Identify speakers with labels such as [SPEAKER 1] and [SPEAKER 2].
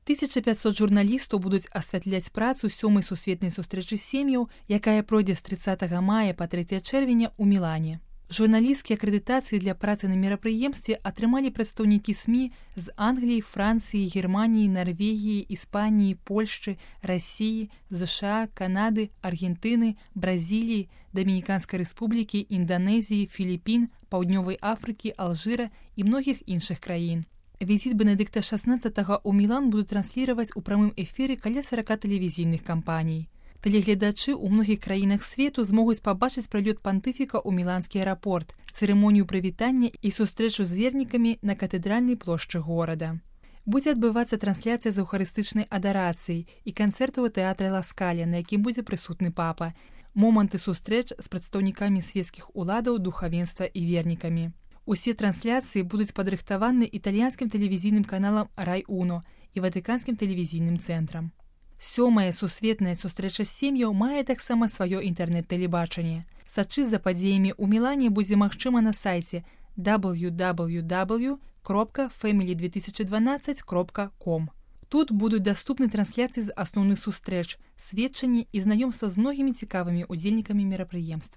[SPEAKER 1] 1500 журналістаў будуць асвятляць працу 7-й сусветнай сустрэчы сем'яў, якая пройдзе з 30 мая па 3 чэрвеня ў Мілане. Журналісцкія акрэдытацыі для працы на мерапрыемстве атрымалі прадстаўнікі СМІ з Англіі, Францыі, Германіі, Нарвегіі, Іспаніі, Польшчы, Расіі, ЗША, Канады, Аргентыны, Бразіліі, Дамініканскай Рэспублікі, Інданезіі, Філіпін, Паўднёвай Афрыкі, Алжыра і многіх іншых краін. Візіт Бенедыкта XVI ў Мілан будуць трансліраваць у прамым эфіры каля 40 тэлевізійных кампаній. Тэлегледачы ў многіх краінах свету змогуць пабачыць прылёт пантыфіка ў міланскі аэрапорт, цырымонію прывітання і сустрэчу з вернікамі на катэдральнай плошчы горада. Будзе адбывацца трансляцыя з эўхарыстычнай адарацыяй і канцэрту ў тэатры Ла Скаля, на якім будзе прысутны папа, моманты сустрэч з прадстаўнікамі свецкіх уладаў, духавенства і вернікамі. Усе трансляцыі будуць падрыхтаваны італьянскім тэлевізійным каналам Рай-Уно і ватыканскім тэлевізійным цэнтрам. 7-я сусветная сустрэча сем'яў мае таксама сваё інтэрнэт-тэлебачанне. Сачыць за падзеямі ў Мілане будзе магчыма на сайце www.family2012.com. Тут будуць даступны трансляцыі з асноўных сустрэч, сведчанні і знаёмства з многімі цікавымі ўдзельнікамі мерапрыемства.